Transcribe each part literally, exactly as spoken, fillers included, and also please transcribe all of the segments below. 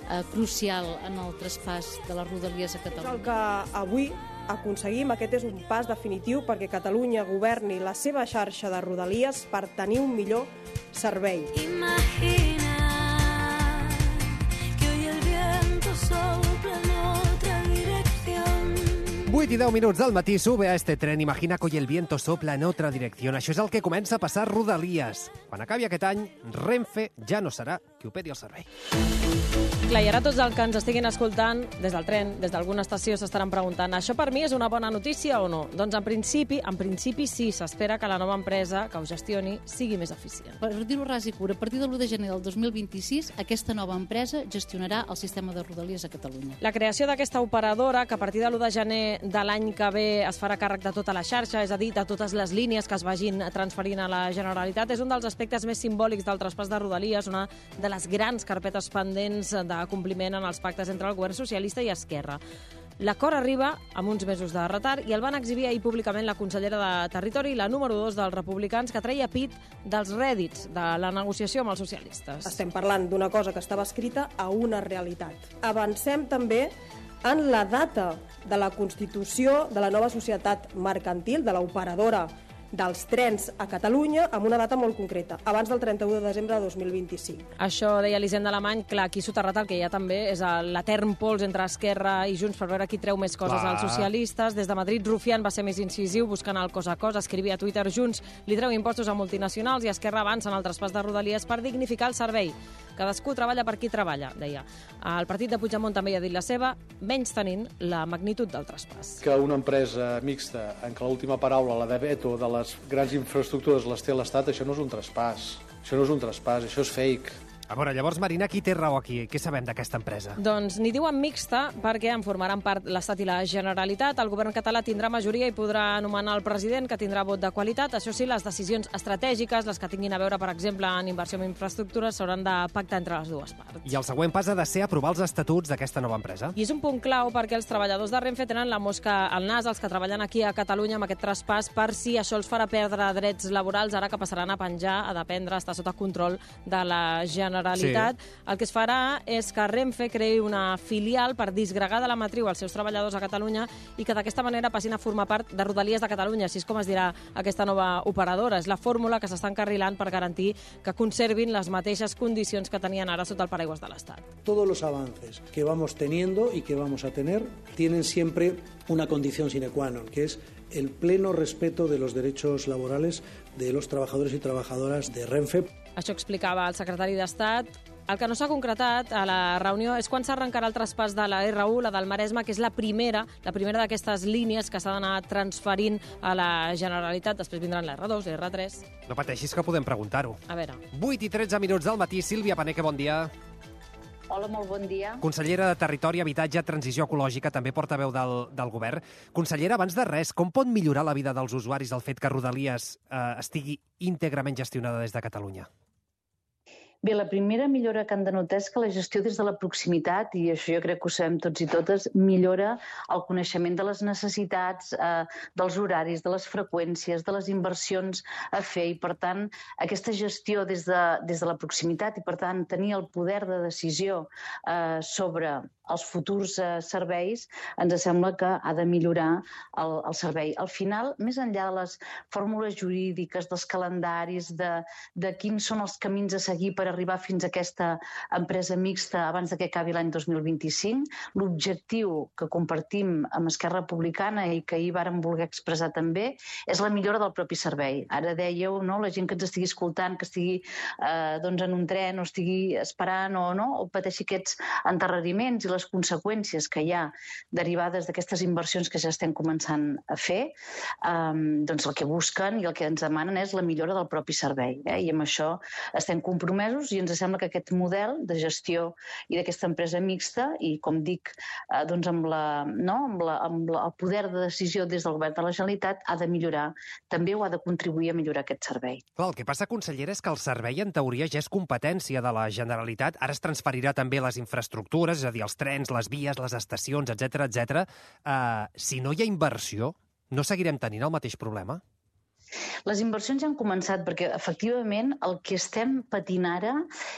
eh, crucial en el traspàs de les Rodalies a Catalunya. És el que avui aconseguim, aquest és un pas definitiu perquè Catalunya governi la seva xarxa de Rodalies per tenir un millor servei. Imagina que hoy el viento sopla en otra dirección. vuit i deu minuts del matí, sube a este tren, imagina que hoy el viento sopla en otra dirección. Això és el que comença a passar Rodalies. Quan acabi aquest any, Renfe ja no serà qui operi el servei. Clar, i ara tots els que ens estiguin escoltant des del tren, des d'alguna estació, s'estaran preguntant això per mi és una bona notícia o no? Doncs en principi, en principi sí, s'espera que la nova empresa que ho gestioni sigui més eficient. Per dir-ho ras i curt, a partir de l'u de gener del dos mil vint-i-sis, aquesta nova empresa gestionarà el sistema de Rodalies a Catalunya. La creació d'aquesta operadora, que a partir de l'u de gener de l'any que ve es farà càrrec de tota la xarxa, és a dir, de totes les línies que es vagin transferint a la Generalitat, és un dels aspectes més simbòlics del traspàs de Rodalies, una de les grans carpetes pendents de compliment en els pactes entre el govern socialista i Esquerra. L'acord arriba amb uns mesos de retard i el van exhibir ahir públicament la consellera de Territori i la número dos dels republicans, que treia pit dels rèdits de la negociació amb els socialistes. Estem parlant d'una cosa que estava escrita a una realitat. Avancem també en la data de la constitució de la nova societat mercantil, de l'operadora dels trens a Catalunya, amb una data molt concreta, abans del trenta-u de desembre de dos mil vint-i-cinc. Això deia l'Hisenda Alemany, clar, aquí soterrat el que hi ha també és l'etern pols entre Esquerra i Junts per veure qui treu més coses Clar. als socialistes. Des de Madrid, Rufián va ser més incisiu buscant el cos a cos, escrivia a Twitter: Junts li treu impostos a multinacionals i Esquerra avança en el traspàs de Rodalies per dignificar el servei. Cadascú treballa per qui treballa, deia. El partit de Puigdemont també hi ha dit la seva, menys tenint la magnitud del traspàs. Que una empresa mixta en què l'última paraula, la de veto de les grans infraestructures, les té l'Estat, això no és un traspàs. Això no és un traspàs, això és fake. A veure, llavors, Marina, qui té raó aquí? Què sabem d'aquesta empresa? Doncs n'hi diuen mixta perquè en formaran part l'Estat i la Generalitat. El govern català tindrà majoria i podrà anomenar el president, que tindrà vot de qualitat. Això sí, les decisions estratègiques, les que tinguin a veure, per exemple, en inversió en infraestructures, s'hauran de pactar entre les dues parts. I el següent pas ha de ser aprovar els estatuts d'aquesta nova empresa. I és un punt clau perquè els treballadors de Renfe tenen la mosca al nas, els que treballen aquí a Catalunya amb aquest traspàs, per si això els farà perdre drets laborals, ara que passaran a penjar, a dependre, a estar sota control de la Generalitat. Sí. El que es farà és que Renfe creï una filial per disgregar de la matriu els seus treballadors a Catalunya i que d'aquesta manera passin a formar part de Rodalies de Catalunya, així és com es dirà aquesta nova operadora. És la fórmula que s'està encarrilant per garantir que conservin les mateixes condicions que tenien ara sota el paraigües de l'Estat. Todos los avances que vamos teniendo y que vamos a tener tienen siempre una condición sine qua non, que es el pleno respeto de los derechos laborales de los trabajadores y trabajadoras de Renfe. Això explicava el secretari d'Estat. El que no s'ha concretat a la reunió és quan s'arrencarà el traspàs de la erre u, la del Maresme, que és la primera la primera d'aquestes línies que s'ha d'anar transferint a la Generalitat. Després vindran la erre dos, la erre tres... No pateixis que podem preguntar-ho. A veure. vuit i tretze minuts del matí. Sílvia Paneque, bon dia. Hola, molt bon dia. Consellera de Territori, Habitatge, Transició Ecològica, també portaveu del, del govern. Consellera, abans de res, com pot millorar la vida dels usuaris el fet que Rodalies eh, estigui íntegrament gestionada des de Catalunya? Bé, la primera millora que han de notar és que la gestió des de la proximitat, i això jo crec que ho sabem tots i totes, millora el coneixement de les necessitats, eh, dels horaris, de les freqüències, de les inversions a fer, i per tant aquesta gestió des de, des de la proximitat i per tant tenir el poder de decisió eh, sobre els futurs eh, serveis, ens sembla que ha de millorar el, el servei. Al final, més enllà de les fórmules jurídiques, dels calendaris, de, de quins són els camins a seguir per arribar fins a aquesta empresa mixta abans de que acabi l'any dos mil vint-i-cinc, l'objectiu que compartim amb Esquerra Republicana i que ahir vàrem voler expressar també és la millora del propi servei. Ara dèieu, no?, la gent que ens estigui escoltant, que estigui eh, doncs en un tren o estigui esperant o no, o pateixi aquests endarreriments i les conseqüències que hi ha derivades d'aquestes inversions que ja estem començant a fer, eh, doncs el que busquen i el que ens demanen és la millora del propi servei. Eh? I amb això estem compromesos i ens sembla que aquest model de gestió i d'aquesta empresa mixta i, com dic, eh, doncs amb, la, no? amb, la, amb la, el poder de decisió des del govern de la Generalitat ha de millorar, també ho ha de contribuir a millorar aquest servei. Clar, el que passa, consellera, és que el servei en teoria ja és competència de la Generalitat, ara es transferirà també les infraestructures, és a dir, els trens, les vies, les estacions, etcètera, etcètera. Uh, si no hi ha inversió, no seguirem tenint el mateix problema? Les inversions ja han començat perquè, efectivament, el que estem patint ara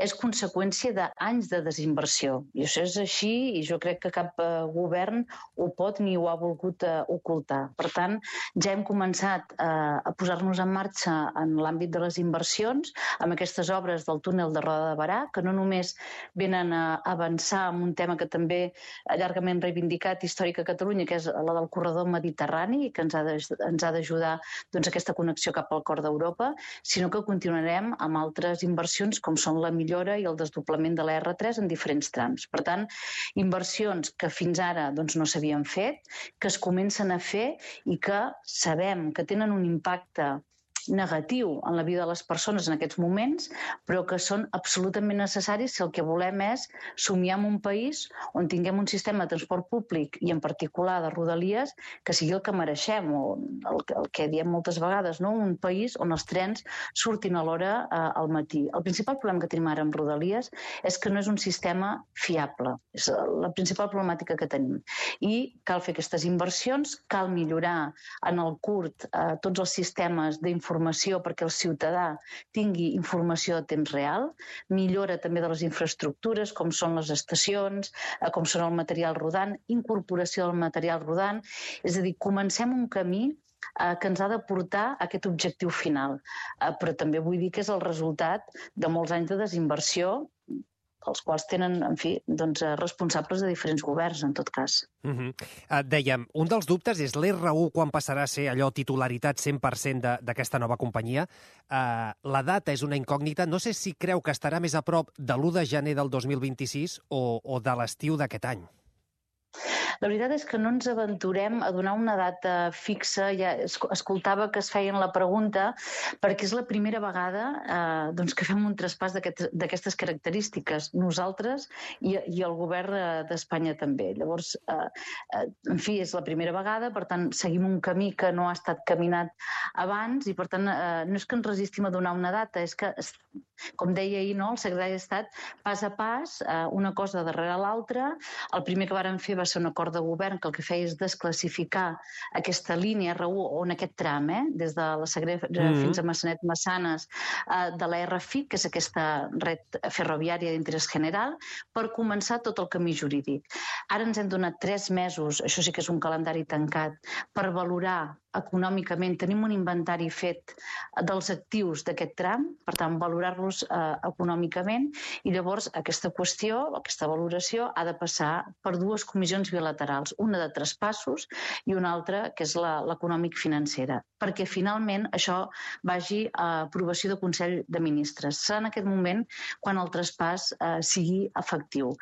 és conseqüència d'anys de desinversió. I això és així i jo crec que cap eh, govern ho pot ni ho ha volgut eh, ocultar. Per tant, ja hem començat eh, a posar-nos en marxa en l'àmbit de les inversions amb aquestes obres del túnel de Roda de Barà, que no només venen a avançar en un tema que també llargament reivindicat històric a Catalunya, que és la del corredor mediterrani, que ens ha de, ens ha d'ajudar doncs, aquesta connexió cap al cor d'Europa, sinó que continuarem amb altres inversions com són la millora i el desdoblament de la erre tres en diferents trams. Per tant, inversions que fins ara doncs, no s'havien fet, que es comencen a fer i que sabem que tenen un impacte negatiu en la vida de les persones en aquests moments, però que són absolutament necessaris si el que volem és somiar en un país on tinguem un sistema de transport públic i en particular de rodalies que sigui el que mereixem, o el, el que diem moltes vegades, no? Un país on els trens surtin a l'hora eh, al matí. El principal problema que tenim ara amb rodalies és que no és un sistema fiable. És la principal problemàtica que tenim. I cal fer aquestes inversions, cal millorar en el curt eh, tots els sistemes d'informació informació perquè el ciutadà tingui informació a temps real, millora també de les infraestructures, com són les estacions, com són el material rodant, incorporació del material rodant. És a dir, comencem un camí eh, que ens ha de portar a aquest objectiu final. Eh, però també vull dir que és el resultat de molts anys de desinversió els quals tenen, en fi, doncs, responsables de diferents governs, en tot cas. Uh-huh. uh, dèiem, un dels dubtes és l'erre u quan passarà a ser allò titularitat cent per cent d'aquesta nova companyia. Uh, la data és una incògnita. No sé si creu que estarà més a prop de l'u de gener del dos mil vint-i-sis o, o de l'estiu d'aquest any. La veritat és que no ens aventurem a donar una data fixa. Ja escoltava que es feien la pregunta perquè és la primera vegada eh, doncs que fem un traspàs d'aquestes característiques. Nosaltres i, i el govern d'Espanya també. Llavors, eh, eh, en fi, és la primera vegada, per tant, seguim un camí que no ha estat caminat abans i, per tant, eh, no és que ens resistim a donar una data, és que, com deia ahir, no, el secretari d'Estat, pas a pas, eh, una cosa darrere l'altra. El primer que varen fer va ser un acord de govern que el que feia és desclassificar aquesta línia erre u, o en aquest tram, eh, des de la Sagrera mm-hmm. fins a Massanet-Massanes, eh, de la erre fi, que és aquesta red ferroviària d'interès general, per començar tot el camí jurídic. Ara ens hem donat tres mesos, això sí que és un calendari tancat, per valorar econòmicament, tenim un inventari fet dels actius d'aquest tram, per tant, valorar-los eh, econòmicament, i llavors aquesta qüestió, aquesta valoració, ha de passar per dues comissions bilaterals, una de traspassos i una altra, que és l'econòmic-financera, perquè finalment això vagi a aprovació de Consell de Ministres. Serà en aquest moment quan el traspàs eh, sigui efectiu.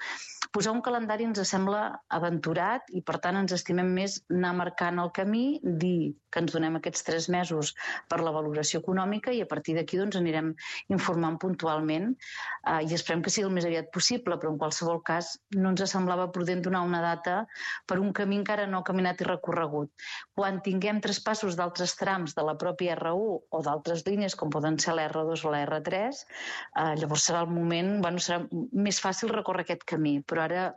Posar un calendari ens sembla aventurat i, per tant, ens estimem més anar marcant el camí, dir que ens donem aquests tres mesos per la valoració econòmica i a partir d'aquí doncs, anirem informant puntualment eh, i esperem que sigui el més aviat possible, però en qualsevol cas no ens semblava prudent donar una data per un camí encara no caminat i recorregut. Quan tinguem traspassos d'altres trams de la pròpia erre u o d'altres línies, com poden ser la erre dos o la erre tres, eh, llavors serà el moment, bueno, serà més fàcil recórrer aquest camí, però ara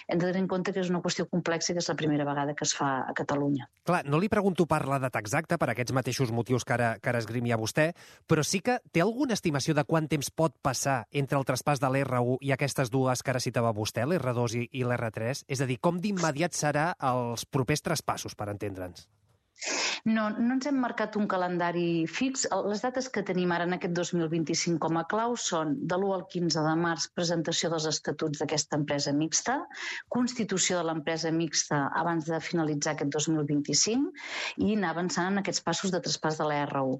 hem de tenir en compte que és una qüestió complexa i que és la primera vegada que es fa a Catalunya. Clar, no li pregunto per la data exacta, per aquests mateixos motius que ara, que ara esgrimia vostè, però sí que té alguna estimació de quant temps pot passar entre el traspàs de l'erre u i aquestes dues que ara citava vostè, l'erre dos i, i l'erre tres? És a dir, com d'immediat serà els propers traspassos, per entendre'ns? No, no ens hem marcat un calendari fix. Les dates que tenim ara en aquest dos mil vint-i-cinc com a clau són de l'u al quinze de març, presentació dels estatuts d'aquesta empresa mixta, constitució de l'empresa mixta abans de finalitzar aquest dos mil vint-i-cinc i anar avançant en aquests passos de traspàs de la erre u.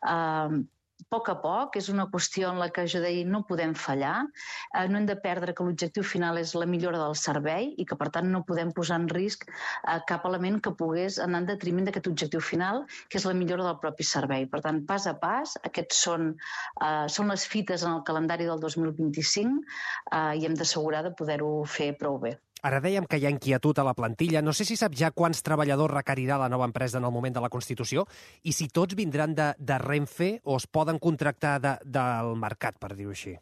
Uh, A poc a poc, és una qüestió en la que jo deia no podem fallar, eh, no hem de perdre que l'objectiu final és la millora del servei i que per tant no podem posar en risc eh, cap element que pogués anar en detriment d'aquest objectiu final, que és la millora del propi servei. Per tant, pas a pas, aquests són, eh, són les fites en el calendari del dos mil vint-i-cinc eh, i hem d'assegurar de poder-ho fer prou bé. Ara dèiem que hi ha inquietud a la plantilla. No sé si sap ja quants treballadors requerirà la nova empresa en el moment de la Constitució i si tots vindran de, de Renfe o es poden contractar de, del mercat, per dir-ho així.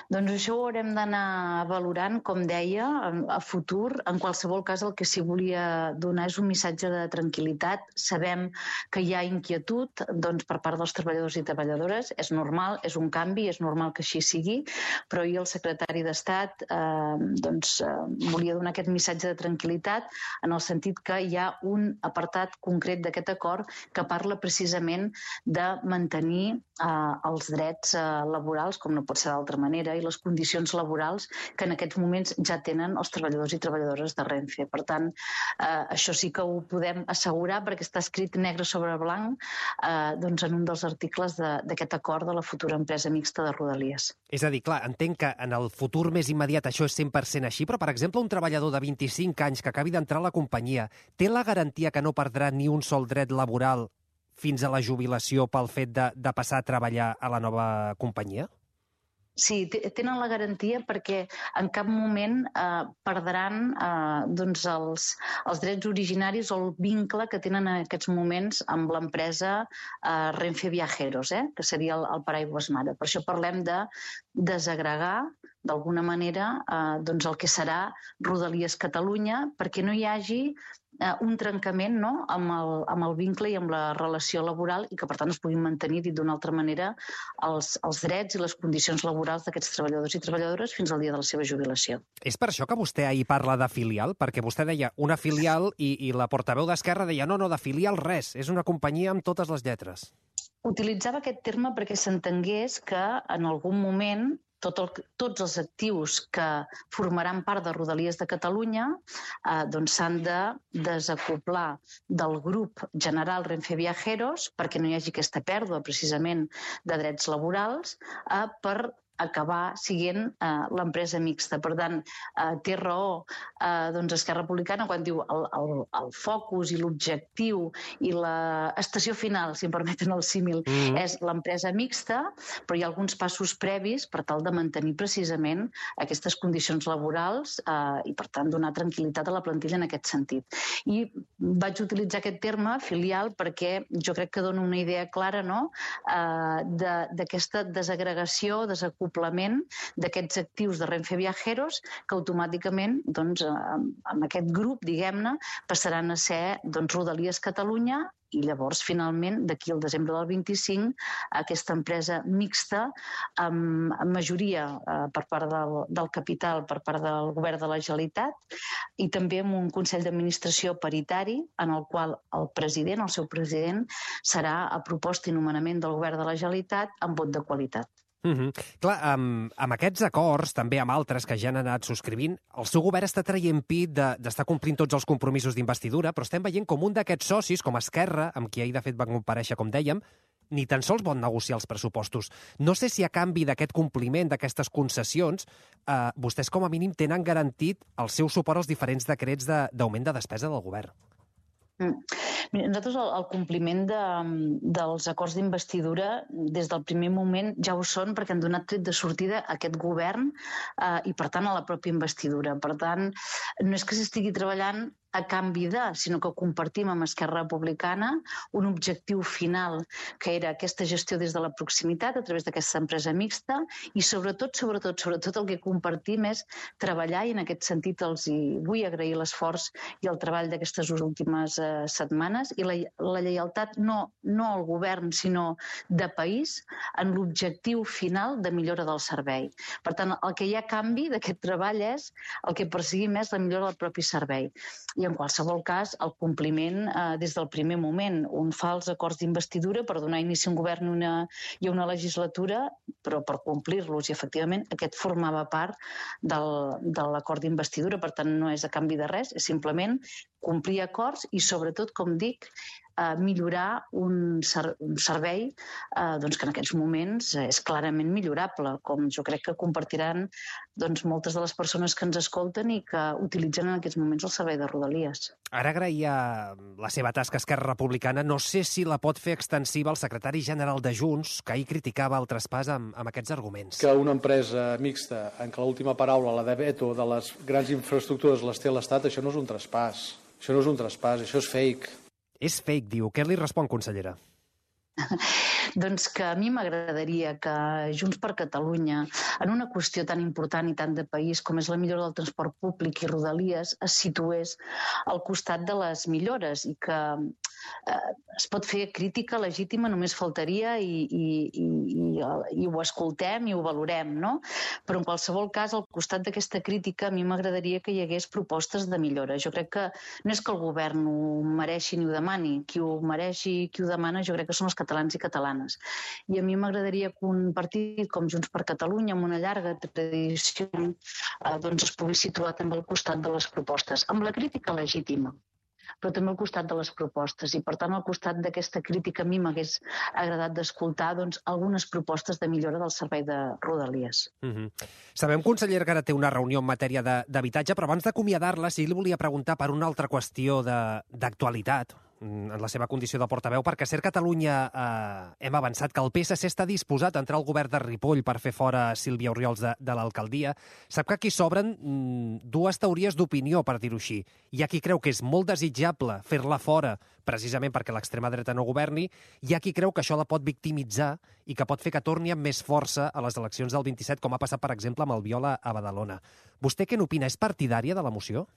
Doncs això ho haurem d'anar valorant, com deia, a futur. En qualsevol cas, el que sí volia donar és un missatge de tranquil·litat. Sabem que hi ha inquietud doncs, per part dels treballadors i treballadores. És normal, és un canvi, és normal que així sigui, però ahir el secretari d'Estat eh, doncs, eh, volia donar aquest missatge de tranquil·litat en el sentit que hi ha un apartat concret d'aquest acord que parla precisament de mantenir eh, els drets eh, laborals, com no pot ser d'altra manera, i les condicions laborals que en aquests moments ja tenen els treballadors i treballadores de Renfe. Per tant, eh, això sí que ho podem assegurar perquè està escrit negre sobre blanc eh, doncs en un dels articles d'aquest acord de la futura empresa mixta de Rodalies. És a dir, clar, entenc que en el futur més immediat això és cent per cent així, però, per exemple, un treballador de vint-i-cinc anys que acabi d'entrar a la companyia té la garantia que no perdrà ni un sol dret laboral fins a la jubilació pel fet de, de passar a treballar a la nova companyia? Sí, tenen la garantia perquè en cap moment eh, perdran eh, doncs els, els drets originaris o el vincle que tenen en aquests moments amb l'empresa eh, Renfe Viajeros, eh, que seria el, el paraigües mare. Per això parlem de desagregar d'alguna manera eh, doncs el que serà Rodalies Catalunya perquè no hi hagi eh, un trencament no? amb, el, amb el vincle i amb la relació laboral i que per tant es puguin mantenir, dit d'una altra manera, els, els drets i les condicions laborals d'aquests treballadors i treballadores fins al dia de la seva jubilació. És per això que vostè ahir parla de filial? Perquè vostè deia una filial i, i la portaveu d'Esquerra deia no, no, de filial res, és una companyia amb totes les lletres. Utilitzava aquest terme perquè s'entengués que en algun moment tot el, tots els actius que formaran part de Rodalies de Catalunya eh, doncs s'han de desacoplar del grup general Renfe Viajeros perquè no hi hagi aquesta pèrdua precisament de drets laborals eh, per acabar siguent eh, l'empresa mixta. Per tant, eh, té raó eh, doncs Esquerra Republicana quan diu el, el, el focus i l'objectiu i l'estació final, si em permeten el símil, mm-hmm. és l'empresa mixta, però hi ha alguns passos previs per tal de mantenir precisament aquestes condicions laborals eh, i, per tant, donar tranquil·litat a la plantilla en aquest sentit. I vaig utilitzar aquest terme, filial, perquè jo crec que dona una idea clara no? eh, d'aquesta de, desagregació, desacoblament d'aquests actius de Renfe Viajeros que automàticament doncs, amb aquest grup, diguem-ne, passaran a ser doncs, Rodalies Catalunya i llavors, finalment, d'aquí al desembre del vint-i-cinc, aquesta empresa mixta amb, amb majoria eh, per part del, del capital, per part del govern de la Generalitat i també amb un Consell d'Administració paritari en el qual el president, el seu president, serà a proposta i nomenament del govern de la Generalitat amb vot de qualitat. Mm-hmm. Clar, amb, amb aquests acords, també amb altres que ja han anat subscrivint, el seu govern està traient pit d'estar de, complint tots els compromisos d'investidura, però estem veient com un d'aquests socis, com Esquerra, amb qui ahir de fet van comparèixer, com dèiem, ni tan sols vol negociar els pressupostos. No sé si a canvi d'aquest compliment, d'aquestes concessions, eh, vostès com a mínim tenen garantit el seu suport als diferents decrets d'augment de, de despesa del govern. Mm. Nosaltres el, el compliment de, dels acords d'investidura des del primer moment ja ho són perquè han donat tret de sortida a aquest govern eh, i per tant a la pròpia investidura. Per tant, no és que s'estigui treballant a canvi de, sinó que compartim amb Esquerra Republicana un objectiu final, que era aquesta gestió des de la proximitat a través d'aquesta empresa mixta i sobretot, sobretot, sobretot el que compartim és treballar i en aquest sentit els hi vull agrair l'esforç i el treball d'aquestes últimes eh, setmanes i la, la lleialtat no, no al govern sinó de país en l'objectiu final de millora del servei. Per tant, el que hi ha canvi d'aquest treball és el que perseguim és la millora del propi servei. I en qualsevol cas, el compliment eh, des del primer moment. Un fa els acords d'investidura per donar inici a un govern i una, i una legislatura, però per complir-los. I efectivament aquest formava part del, de l'acord d'investidura, per tant no és a canvi de res, és simplement complir acords i sobretot, com dic, eh, millorar un, ser, un servei eh, doncs que en aquests moments és clarament millorable, com jo crec que compartiran doncs, moltes de les persones que ens escolten i que utilitzen en aquests moments el servei de Rodalies. Ara agraïa la seva tasca a Esquerra Republicana. No sé si la pot fer extensiva al secretari general de Junts, que ahir criticava el traspàs amb, amb aquests arguments. Que una empresa mixta en què l'última paraula, la de veto de les grans infraestructures, les té l'Estat, això no és un traspàs. Això no és un traspàs, això és fake. És fake, diu. Què li respon, consellera? Doncs que a mi m'agradaria que Junts per Catalunya, en una qüestió tan important i tant de país com és la millora del transport públic i Rodalies, es situés al costat de les millores i que eh, es pot fer crítica legítima, només faltaria i, i, i, i, i ho escoltem i ho valorem, no? Però en qualsevol cas, al costat d'aquesta crítica, a mi m'agradaria que hi hagués propostes de millora. Jo crec que no és que el govern ho mereixi ni ho demani, qui ho mereix i qui ho demana jo crec que són els catalans i catalanes. I a mi m'agradaria que un partit com Junts per Catalunya, amb una llarga tradició, eh, doncs es pugui situar també al costat de les propostes, amb la crítica legítima, però també al costat de les propostes. I, per tant, al costat d'aquesta crítica a mi m'hagués agradat d'escoltar doncs, algunes propostes de millora del servei de Rodalies. Mm-hmm. Sabem, consellera, que ara té una reunió en matèria d'habitatge, però abans d'acomiadar-la sí li volia preguntar per una altra qüestió d'actualitat, en la seva condició de portaveu, perquè a Ser Catalunya eh, hem avançat que el P S C està disposat a entrar al govern de Ripoll per fer fora Sílvia Orriols de, de l'alcaldia. Sap que aquí s'obren mm, dues teories d'opinió, per dir-ho així. Hi ha qui creu que és molt desitjable fer-la fora precisament perquè l'extrema dreta no governi, hi ha qui creu que això la pot victimitzar i que pot fer que torni amb més força a les eleccions del vint-i-set, com ha passat, per exemple, amb el Viola a Badalona. Vostè què n'opina? És partidària de la moció?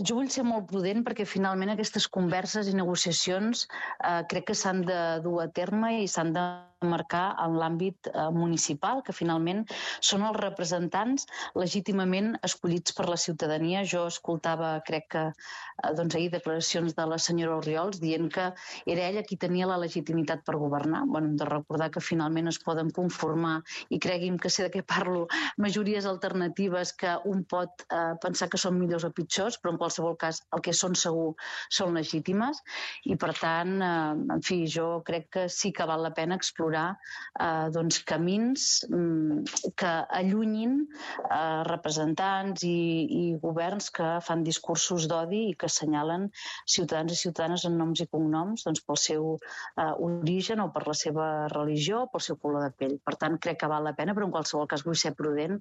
Jo vull ser molt prudent perquè finalment aquestes converses i negociacions eh, crec que s'han de dur a terme i s'han de marcar en l'àmbit eh, municipal, que finalment són els representants legítimament escollits per la ciutadania. Jo escoltava, crec que eh, doncs ahir, declaracions de la senyora Orriols dient que era ella qui tenia la legitimitat per governar. Bueno, hem de recordar que finalment es poden conformar, i cregui'm que sé de què parlo, majories alternatives que un pot eh, pensar que són millors o pitjors, però en qualsevol cas el que són segur són legítimes, i per tant, eh, en fi, jo crec que sí que val la pena explorar eh, doncs, camins mm, que allunyin eh, representants i, i governs que fan discursos d'odi i que assenyalen ciutadans i ciutadanes en noms i cognoms doncs, pel seu eh, origen o per la seva religió o pel seu color de pell. Per tant, crec que val la pena, però en qualsevol cas vull ser prudent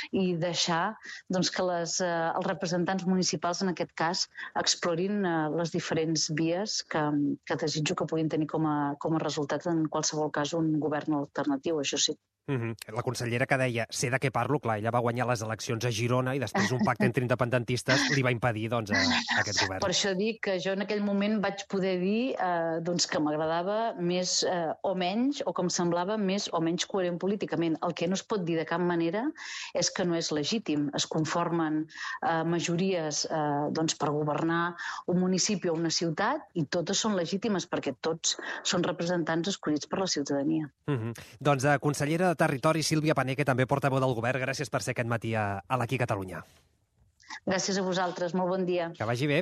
i deixar doncs, que les, eh, els representants municipals en aquest cas explorin eh, les diferents vies que, que desitjo que puguin tenir com a, com a resultat en qualsevol cas un govern alternatiu, això sí. Mm-hmm. La consellera que deia, sé de què parlo, clar, ella va guanyar les eleccions a Girona i després un pacte entre independentistes li va impedir doncs, a, a aquest govern. Per això dic que jo en aquell moment vaig poder dir eh, doncs, que m'agradava més eh, o menys, o que em semblava més o menys coherent políticament. El que no es pot dir de cap manera és que no és legítim. Es conformen eh, majories eh, doncs, per governar un municipi o una ciutat i totes són legítimes perquè tots són representants escollits per la ciutadania. Mm-hmm. Doncs, eh, consellera de Territori, Sílvia Paneque, també portaveu del govern. Gràcies per ser aquest matí a, a l'Aquí Catalunya. Gràcies a vosaltres. Molt bon dia. Que vagi bé.